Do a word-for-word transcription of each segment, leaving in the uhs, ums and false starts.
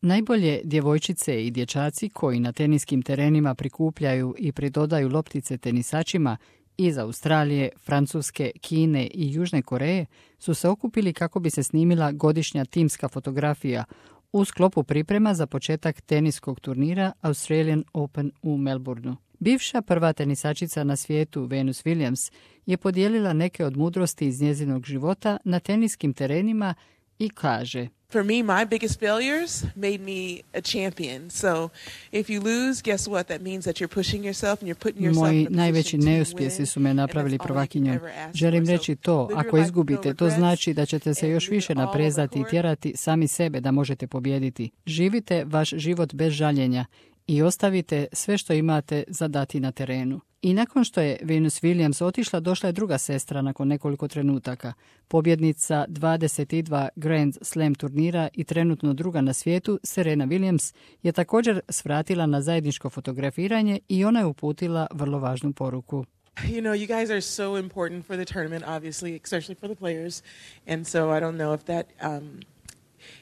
Najbolje djevojčice i dječaci koji na teniskim terenima prikupljaju i pridodaju loptice tenisačima iz Australije, Francuske, Kine i Južne Koreje su se okupili kako bi se snimila godišnja timska fotografija u sklopu priprema za početak teniskog turnira Australian Open u Melbourneu. Bivša prva tenisačica na svijetu, Venus Williams, je podijelila neke od mudrosti iz njezinog života na teniskim terenima i kaže: For me, my biggest failures made me a champion. So, if you lose, guess what? That means that you're pushing yourself and you're putting yourself Moji in a najveći position to neuspjesi win. su me napravili prvakinjom. Želim reći to, ako izgubite, to znači da ćete se još više naprezati i tjerati sami sebe da možete pobijediti. Živite vaš život bez žaljenja i ostavite sve što imate za dati na terenu. I nakon što je Venus Williams otišla, došla je druga sestra nakon nekoliko trenutaka. Pobjednica dvadeset dva Grand Slam turnira i trenutno druga na svijetu, Serena Williams, je također svratila na zajedničko fotografiranje i ona je uputila vrlo važnu poruku. You know, you guys are so important for the tournament, obviously, especially for the players. And so I don't know if that um,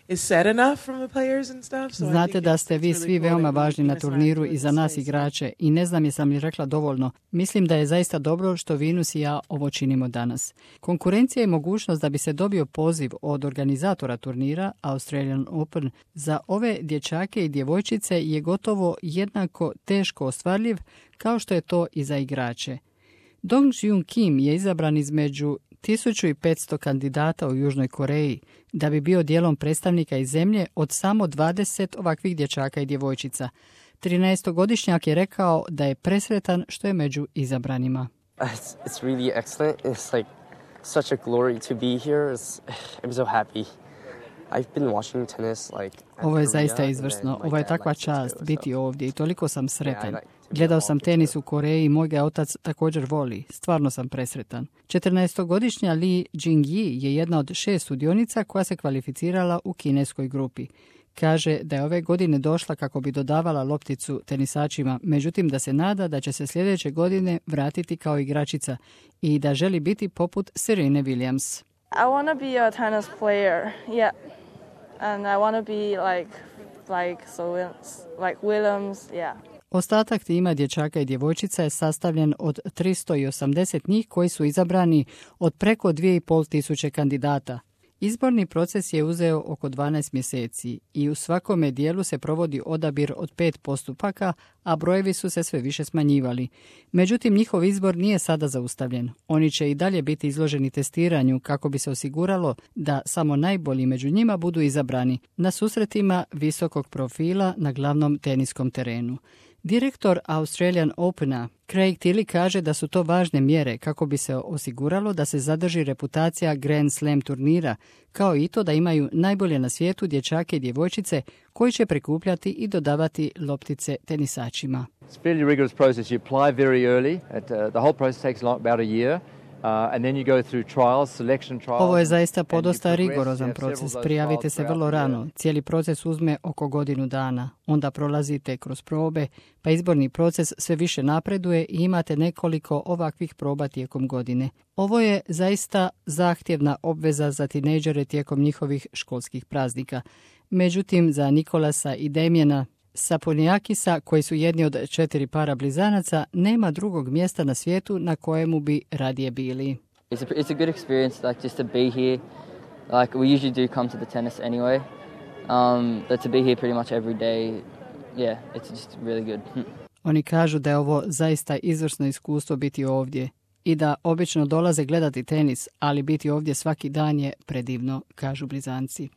is said enough from the players and stuff. So Znate da ste vi svi veoma važni na turniru i za nas igrače i ne znam jesam li rekla dovoljno. Mislim da je zaista dobro što Venus i ja ovo činimo danas. Konkurencija i mogućnost da bi se dobio poziv od organizatora turnira Australian Open za ove dječake i djevojčice je gotovo jednako teško ostvarljiv kao što je to i za igrače. Dong Jun Kim je izabran između tisuću petsto kandidata u Južnoj Koreji da bi bio dijelom predstavnika iz zemlje od samo dvadeset ovakvih dječaka i djevojčica. trinaestogodišnjak je rekao da je presretan što je među izabranima. It's, it's really excellent. It's like such a glory to be here. It's, I'm so happy. I've been watching tennis like Ovo je zaista izvrsno. Ovo je takva čast biti ovdje i toliko sam sretan. Gledao sam tenis u Koreji i moj ga otac također voli. Stvarno sam presretan. četrnaestogodišnja Lee Jing-yi je jedna od šest sudionica koja se kvalificirala u kineskoj grupi. Kaže da je ove godine došla kako bi dodavala lopticu tenisačima, međutim da se nada da će se sljedeće godine vratiti kao igračica i da želi biti poput Serene Williams. I want to be a tennis player, yeah, and I want to be like, like, so, like Williams, yeah. Ostatak tima dječaka i djevojčica je sastavljen od tristo osamdeset njih koji su izabrani od preko dvije i pol tisuće kandidata. Izborni proces je uzeo oko dvanaest mjeseci i u svakome dijelu se provodi odabir od pet postupaka, a brojevi su se sve više smanjivali. Međutim, njihov izbor nije sada zaustavljen. Oni će i dalje biti izloženi testiranju kako bi se osiguralo da samo najbolji među njima budu izabrani na susretima visokog profila na glavnom teniskom terenu. Direktor Australian Opena Craig Tilly kaže da su to važne mjere kako bi se osiguralo da se zadrži reputacija Grand Slam turnira, kao i to da imaju najbolje na svijetu dječake i djevojčice koji će prikupljati i dodavati loptice tenisačima. It's a fairly rigorous process. You apply very early. It, uh, the whole process takes long, about a year. Uh, and then you go through trials, selection trials. Ovo je zaista podosta rigorozan proces. Prijavite se vrlo rano. Cijeli proces uzme oko godinu dana. Onda prolazite kroz probe, pa izborni proces sve više napreduje i imate nekoliko ovakvih proba tijekom godine. Ovo je zaista zahtjevna obveza za tinejdžere tijekom njihovih školskih praznika. Međutim, za Nikolasa i Damjana Saponiakisa, koji su jedni od četiri para blizanaca, nema drugog mjesta na svijetu na kojemu bi radije bili. It's a, it's a good experience, like just to be here. Like we usually do come to the tennis anyway, um, but to be here pretty much every day, yeah, it's just really good. Oni kažu da je ovo zaista izvrsno iskustvo biti ovdje i da obično dolaze gledati tenis, ali biti ovdje svaki dan je predivno, kažu Blizanci.